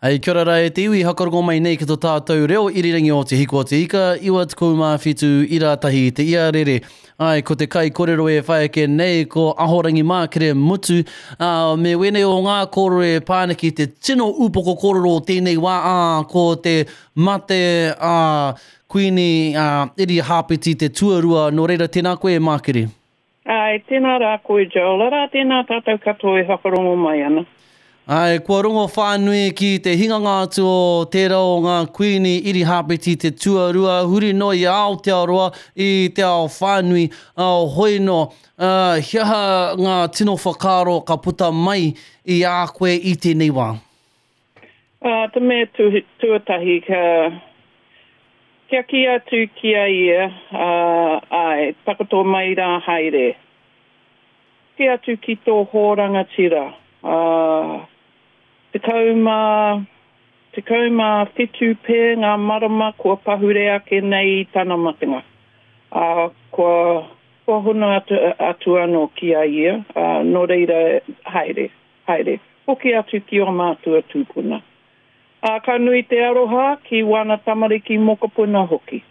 Hei, kia ora rā e te iwi, hakarongo mai nei ki to tātou reo irirangi o Te Hiku o Te Ika, 97 ira tahi te iarere. Ai, ko te kai korero e whai ake nei, ko Ahorangi Mākere Mutu, ā, me wēnei o ngā kōrero e pā ana ki te tino upoko kōrero o tēnei wā, ā, ko te mate a Kuini, ā, Irihāpeti te tuarua, nō reira tēnā koe e Mākere. Āe, tēnā rā koe Joel, arā tēnā tātou katoa e whakarongo mai ana. Āe, kua rongo whānui ki te hinganga atu o tērā o ngā Kuini Irihāpeti te tuarua huri noa i Aotearoa, i te ao whānui, ā, hoi nō, ā, he aha ngā tino whakaaro ka puta mai i a koe i tēnei wā? Ā, te mea tuatahi ka, Kia kī atu ki a ia, ā, āe, takoto mai rā haere. Kī atu ki tō hō rangatira, ā, 17 pē ngā marama kua pahure ake nei i tana matenga, ā, kua, kua hono atu, atu anō ki a ia, ā, nō reira, haere, haere, hoki atu ki ō mātua tūpuna. Ā, ka nui te aroha ki wana tamariki mokopuna hoki.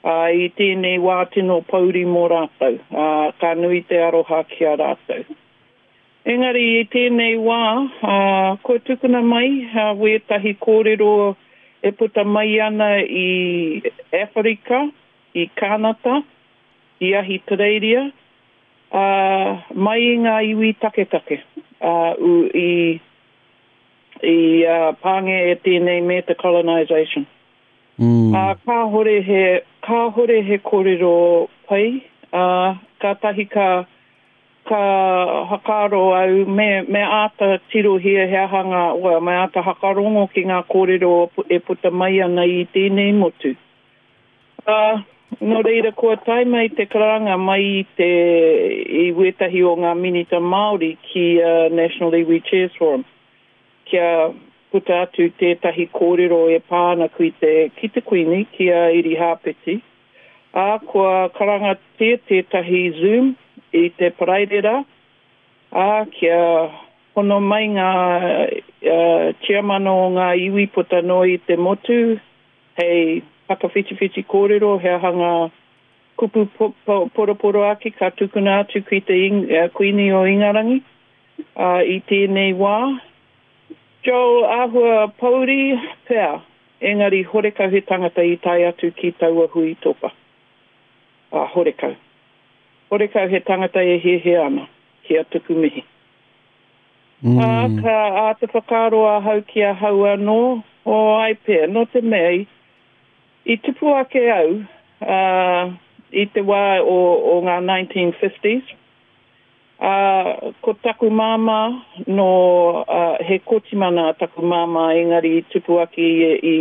Ā, i tēnei wā tino pouri mō rātou, ā, ka nui te aroha ki a rātou. Engari i tēnei wā, ā, kua tukuna mai wētahi kōrero e puta mai ana i Awherika, i Kānata, i Ahitereiria, ā, mai i ngā iwi taketake, ā, i. I pāngia e tēnei me te colonisation. Ā, kāhore he, kāhore he kōrero pai, ā, kātahi ka, ka whakaaro au me, me āta tirohia he aha ngā, well, me āta whakarongo ki ngā kōrero e puta mai ana i tēnei motu. Ā, nō reira kua tae mai te karanga mai i te, i wētahi o ngā Minita Māori ki a National Iwi Chairs Forum kia puta atu tētahi kōrero e pā ana ki te, ki te Kuini, ki a Irihāpeti. Ā, kua karangatia tētahi Zoom i te Paraire rā, ā, kia hono mai ngā Tiamana o ngā iwi puta noa i te motu, Hei whakawhitiwhiti kōrero he aha ngā kupu poroporoaki ka tukuna atu ki te Kuini o Ingarangi i tēnei wā. Joel, āhua pouri pea, engari horekau he tangata i tae atu ki taua hui topa. Ā, horekau. Horekau he tangata e hiahia ana kia tuku mihi. Ā, ka āta whakaaro ahau ki ahau anō, o ai pea, nō te mea i, i tupu ake au, ā, i te wā o, o ngā 1950s, ā, ko taku māmā nō, ā, he Kōtimana taku māmā engari i tupu ake ia i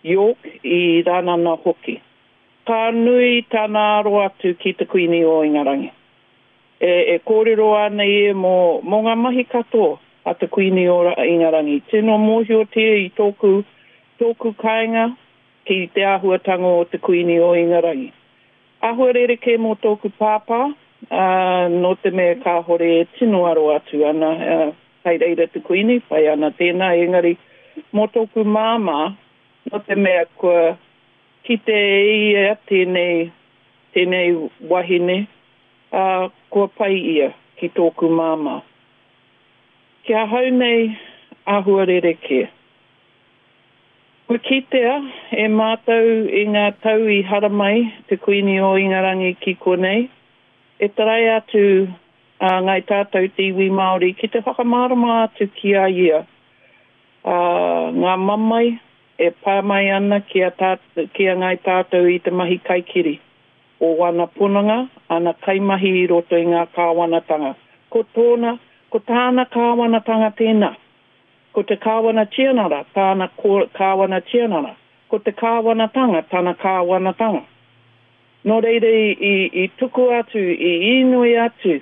York, i Rānana hoki. Ka nui tana aro atu ki te Kuini o Ingarangi. E kōrero ana ia mō, mō ngā mahi katoa a te Kuini o Ingarangi. Tino mōhiotia i tōku, tōku kāinga ki te āhuatanga o te Kuini o Ingarangi. Āhua rerekē mō tōku pāpā, ā, nō te mea kāhore e tino aro atu ana, ā, kai reira te Kuini, pai ana tēnā, engari mō tōku māmā, nō te mea kua kite e ia tēnei, tēnei wahine, Ā, kua pai ia ki tōku māmā. Ki ahau nei, āhua rerekē. Kua kitea e mātou i ngā tau i haramai te Kuini o Ingarangi ki konei, e tarai atu a Ngāi Tātou te iwi Māori ki te whakamārama atu ki a ia ngā mamae e pā mai ana ki a Ngāi Tātou i te mahi kaikiri. o ana pononga, ana kaimahi i roto i ngā kāwanatanga. Ko tōna, ko tāna kāwanatanga tēnā. Ko te Kāwana Tianara tāna Kāwana Tianara. Ko te kāwanatanga tana kāwanatanga. Nō reira i, i tuku atu, i īnoi atu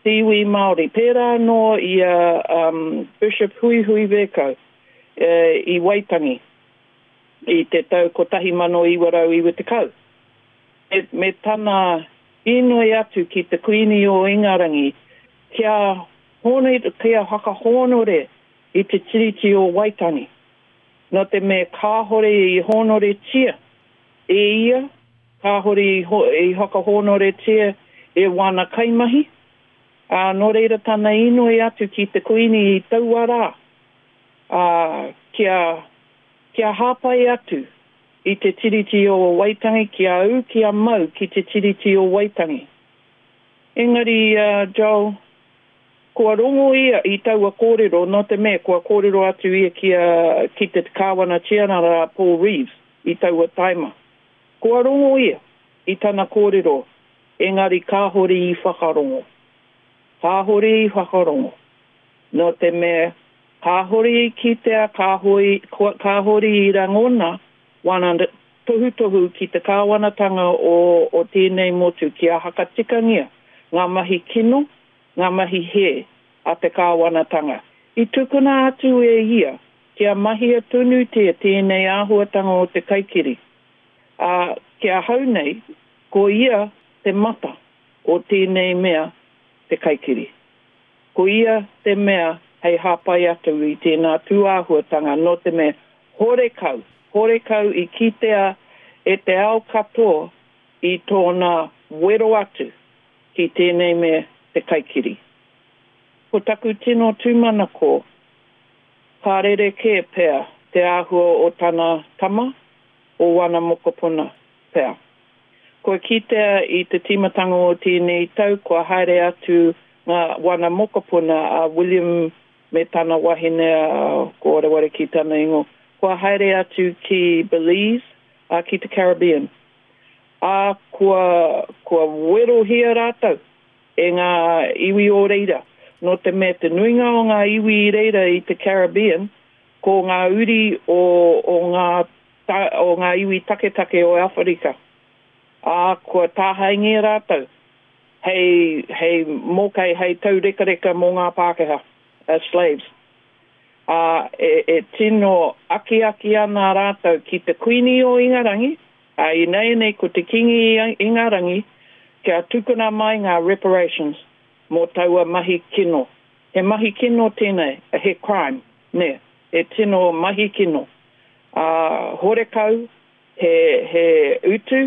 te iwi Māori, pērā anō i a um, Bishop Huihui Vercoe i Waitangi i te tau 1990. Me tana inoi atu ki te Kuini o Ingarangi kia kia whakahōnore i te Tiriti o Waitangi. Nō te mea kāhore i hōnoretia e ia, kāhore i whakahōnoretia e wana kaimahi, ā, nō reira tana inoi atu ki te Kuini i taua rā, ā, kia, kia hāpai atu i te Tiriti o Waitangi, kia ū, kia mau ki te Tiriti o Waitangi. Engari, Joel, kua rongo ia i taua kōrero nō te mea kua kōrero atu ia ki a, ki te Kāwana Tianara a Paul Reeves i taua taima. Kua rongo ia i tana kōrero, engari kāhore i whakarongo. Kāhore i whakarongo. Nō te mea kāhore i kitea, kāhore i rangona wana tohutohu ki te kāwanatanga o, o tēnei motu kia hakatikangia ngā mahi kino, ngā mahi hē a te kāwanatanga. I tukuna atu e ia kia mahia tonutia tēnei āhuatanga o te kaikiri, ā, ki ahau nei, ko ia te mata o tēnei mea te kaikiri. Ko ia te mea hei hāpai atu i tēnā tūāhuatanga nō te mea horekau, horekau i kitea e te ao katoa i tōna wero atu ki tēnei mea te kaikiri. Ko taku tino tūmanako, ka rerekē pea te āhua o tana tama, o wana mokopuna pea. Kua kitea i te tīmatanga o tēnei tau kua haere atu ngā wana mokopuna a William me tana wahine a ko wareware ki tana ingoa, kua haere atu ki Belize, ā, ki te Caribbean. Ā, kua, kua werohia rātou e ngā iwi o reira, nō te mea te nuinga o ngā iwi i reira i te Caribbean, ko ngā uri o, o ngā o ngā iwi taketake o Awherika, ā, kua tāhaengia rātou hei, hei mōkai, hei taurekareka mō ngā Pākehā, as slaves. Ā, e, e tino akiaki ana rātou ki te Kuini o Ingarangi, ā, ināianei ko te Kīngi Ingarangi, kia tukuna mai ngā reparations mō taua mahi kino. He mahi kino tēnei, he crime, nē, he tino mahi kino. Ā, horekau he, he utu,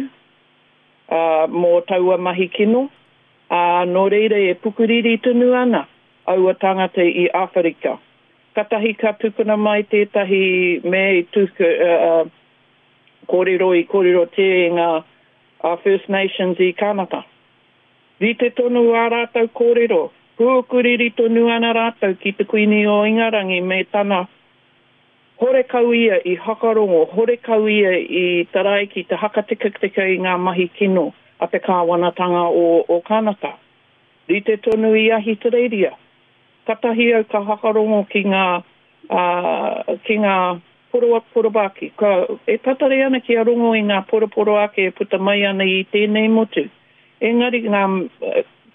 ā, mō taua mahi kino, ā, nō reira e pukuriri tonu ana aua tāngata i Āwherika. Katahi ka tukuna mai tētahi mea i tuku, ā, kōrero i kōrerotia e ngā First Nations i Kānata. Rite tonu ā rātou kōrero, pūkuriri tonu ana rātou ki te Kuini o Ingarangi me tana Horekau ia i hakarongo, horekau ia i tarai ki te hakatikatika i ngā mahi kino a te kāwanatanga o Kānata. Rite tonu i Ahitereiria. Katahi au ka hakarongo ki ngā, ki ngā poroporoaki. Ka, e tatari ana kia rongo i ngā poroporoaki e puta mai ana i tēnei motu. Engari ngā,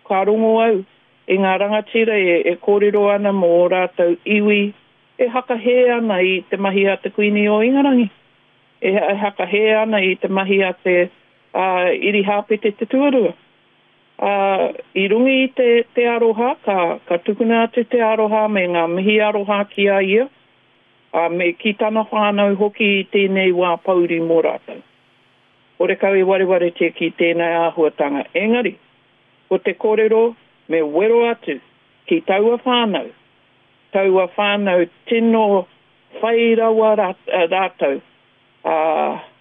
ka rongo au i ngā rangatira e kōrero ana mō ō rātou iwi, E hakahē ana i te mahi a te Kuini o Ingarangi. E hakahē ana i te mahi a te Irihāpete te Tuarua. Ā, i runga i te, te aroha, ka, ka tukuna atu te aroha me ngā mihi aroha ki a ia, ā, me ki tana whānau hoki i tēnei wā pōuri mō rātou. Horekau i warewaretia ki tēnei āhuatanga. Engari, ko te kōrero me wero atu ki taua whānau, taua whānau tino whai rawa rātou, ā,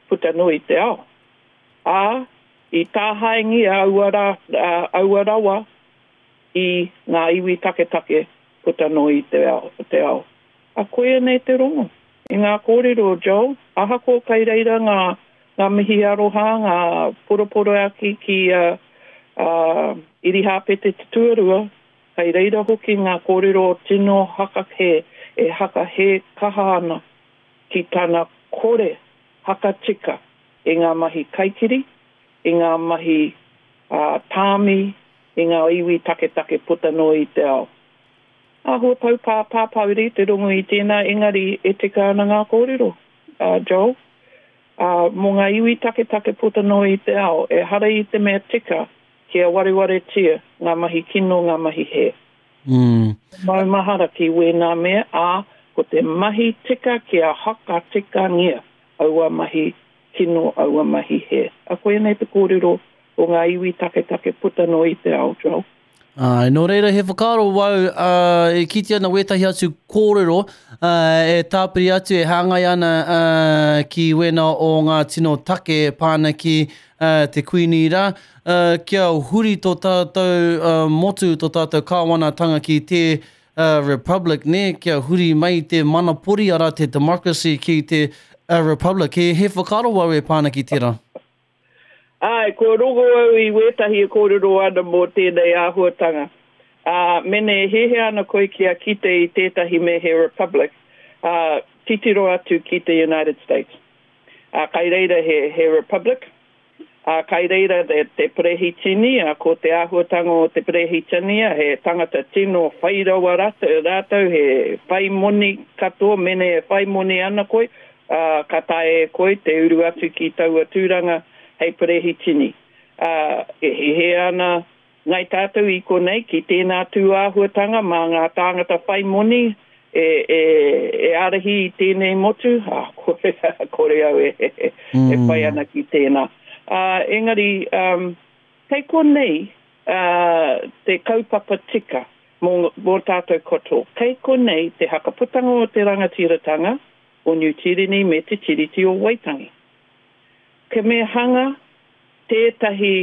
puta noa i te ao. Ā, i tāhaengia aua rā, aua rawa i ngā iwi taketake puta noa i te ao, te ao. A koia nei te rongo i ngā kōrero, Joel, ahakoa kai reira ngā, ngā mihi aroha, ngā poroporoaki ki a, a Irihāpete Te Tuarua, Kei reira hoki ngā kōrero tino hakahē e hakahē kaha ana ki tana kore hakatika i ngā mahi kaikiri, i ngā mahi tāmi i ngā iwi taketake puta noa i te ao. Āhua tau pā pāpāuri te rongo i tēnā engari e tika ana ngā kōrero, Joel. Mō ngā iwi taketake puta noa i te ao, ehara i te mea tika Kia warewaretia ngā mahi kino, ngā mahi hē. Maumahara ki wēnā mea, ā, Ko te mahi tika kia hakatikangia aua mahi kino, aua mahi hē. A koianei te kōrero o ngā iwi taketake puta noa i te ao, Joel. Āe, nō reira he whakaaro wau, ā, e kite ana wētahi atu kōrero, ā, e tāpiri atu, e hāngai ana, ā, ki wēnā o ngā tino take e pā ana ki, ā, te Kuini rā, ā, kia huri tō tātou, ā, motu, tō tātou kāwanatanga ki te, ā, Republic, nē, kia huri mai te manapori, arā, te democracy ki te, ā, Republic. He, he whakaaro wau e pā ana ki tērā. Āe, kua rongo au i wētahi e kōrero ana mō tēnei āhuatanga. Ā, mene e hiahia ana koe kia kite i tētahi me he republic, ā, titiro atu ki te United States. Ā, kai reira he, he republic, ā, kai reira te, te perehitini, ā, ko te āhuatanga o te perehitini, he tangata tino whai rawa rātou, he whai moni katoa, mene e whai moni ana koe, ā, ka taea e koe te uru atu ki taua tūranga hei perehitini. Ā, e hē ana Ngai Tātou i konei ki tēnā tū āhuatanga mā ngā tāngata whai moni e, e, e ārahi i tēnei motu, ā, kore, kore au e, e, e whai ana ki tēnā. Ā, engari, um, kei konei ā, te kaupapa tika mō, mō tātou katoa. Kei konei te hakaputanga o te rangatiratanga, o Niu Tīreni me te Tiriti o Waitangi. Ke me hanga tētahi,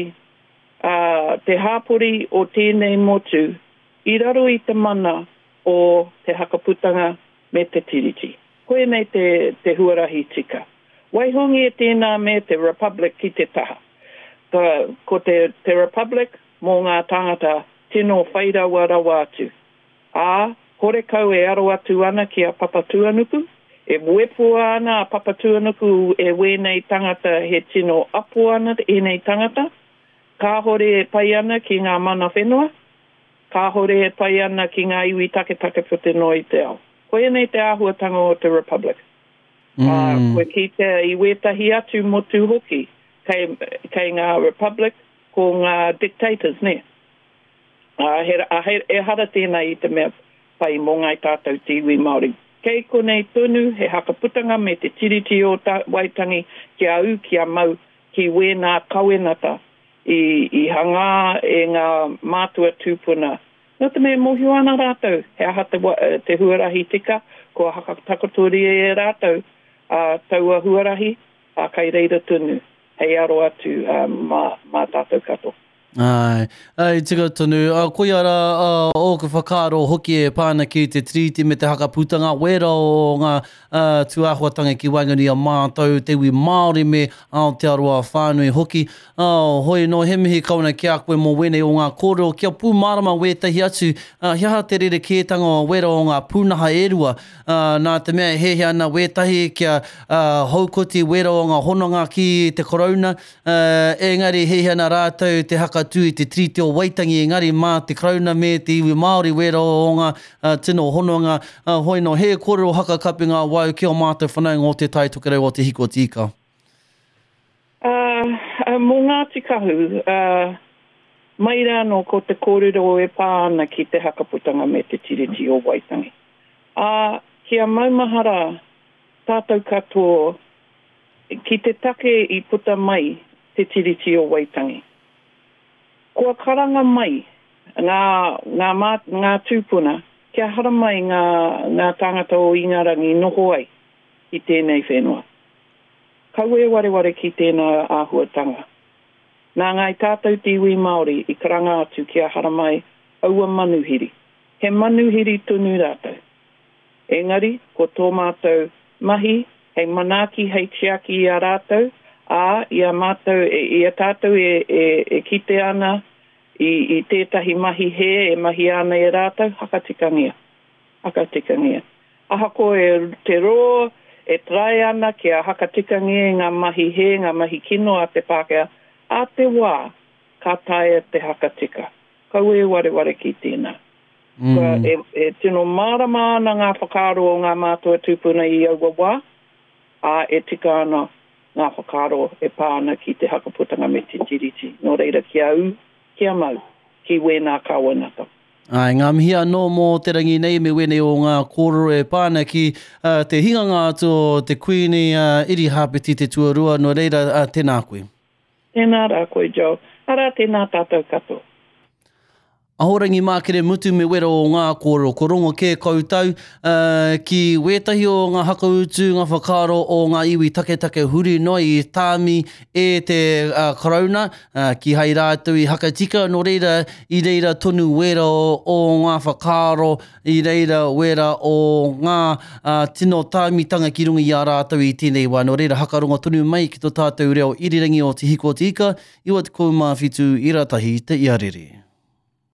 ā, te hāpori o tēnei motu i raro i te mana o te Hakaputanga me te Tiriti. Koinei te, te huarahi tika. Waihongia tēnā me te Republic ki te taha. Ka, ko te, te Republic mō ngā tāngata tino whai rawa rawa atu. Ā, horekau e aro atu ana ki a Papatūānuku, e wepua ana a Papatūānuku e wēnei tangata he tino apo ana ēnei tangata, kāhore e pai ana ki ngā mana whenua, kāhore e pai ana ki ngā iwi taketake puta noa i te ao. Koianei te āhuatanga o te Republic. Ā, kua kitea i wētahi atu motu hoki, kei, kei ngā Republic ko ngā dictators, nē. Ā, he, ā, he, ehara tēnā i te mea pai mō ngāi tātou te iwi Māori. Kei konei tonu he hakaputanga me te Tiriti o Waitangi kia ū, kia mau ki wēnā kawenata i, i hangā e ngā mātua tūpuna. Nō te mea e mōhio ana rātou he aha te, te huarahi tika, kua hakatakotoria e rātou, ā, taua huarahi, ā, kai reira tonu hei aro atu, ā, mā, mā tātou katoa. Āe, āe, tika tonu. Ā, koia rā ā, ōku whakaaro hoki e pā ana ki te Tiriti me te Hakaputanga, wērā o ngā ā, tūāhuatanga ki waenganui i a mātou, te iwi Māori me Aotearoa whānui hoki. Ā, hoi anō, he mihi kau ana ki a koe mō wēnei o ngā kōrero, kia pūmārama wētahi atu, ā, he aha te rerekētanga o wērā o ngā pūnaha e rua, ā, nā te mea e hiahia ana wētahi kia, ā, haukoti wērā o ngā hononga ki te Karauna, Ā, engari hiahia ana rātou te hakatū i te Tiriti o Waitangi, engari mā te Karauna me te iwi Māori wērā o ngā tino hononga. Ā, hoi nō, he kōrero hakakapi ngā wau ki ō mātou whanaunga o Te Tai Tokerau o Te Hiko o Te Ika. Ā, mō Ngāti Kahu, ā, mai rānō ko te kōrero e pā ana ki te hakaputanga me te Tiriti o Waitangi. Ā, kia maumahara tātou katoa Ki te take i puta mai te Tiriti o Waitangi. Kua karanga mai ngā, ngā mā, ngā tūpuna kia haramai ngā, ngā tāngata o Ingarangi noho ai i tēnei whenua. Kaua e wareware ki tēnā āhuatanga. Nā Ngāi Tātou te iwi Māori i karanga atu kia haramai aua manuhiri. He manuhiri tonu rātou. Engari, ko tō mātou mahi hei manaaki, hei tiaki i a rātou, ā, i a mātou, i a tātou e, e, e kite ana i, i tētahi mahi hē e mahia ana e rātou, hakatikangia. Hakatikangia. Ahakoa e te rō e try ana kia hakatikangia i ngā mahi hē, ngā mahi kino a te Pākehā, ā te wā ka taea te hakatika. Kaua e wareware ki tēnā. Kua e, e tino mārama ana ngā whakaaro o ngā mātua tūpuna i aua wā, ā, e tika ana ngā whakaaro e pā ana ki te hakaputanga me te Tiriti. Nō reira, kia ū, kia mau ki wēnā kāwanata. Āe, ngā mihi anō mō te rangi nei me wēnei o ngā kōrero e pā ana ki te hinganga atu o te Kuini Irihāpeti te Tuarua, nō reira, tēnā koe. Tēnā rā koe, Joel. Arā, tēnā tātou katoa. Ahorangi Mākere Mutu me wera o ngā kōrero, ko rongo kē koutou ki wētahi o ngā hakautu, ngā whakaaro o ngā iwi taketake huri noa i tāmi e te Karauna, kīhai rātou i hakatika, nō reira, i reira tonu wera o ngā whakaaro, i reira wera o ngā tino tāmitanga ki runga i a rātou i tēnei wā. Nō reira, hakarongo tonu mai ki tō tātou reo irirangi o Te Hiko o Te Ika, 97 ira tahi te iarere.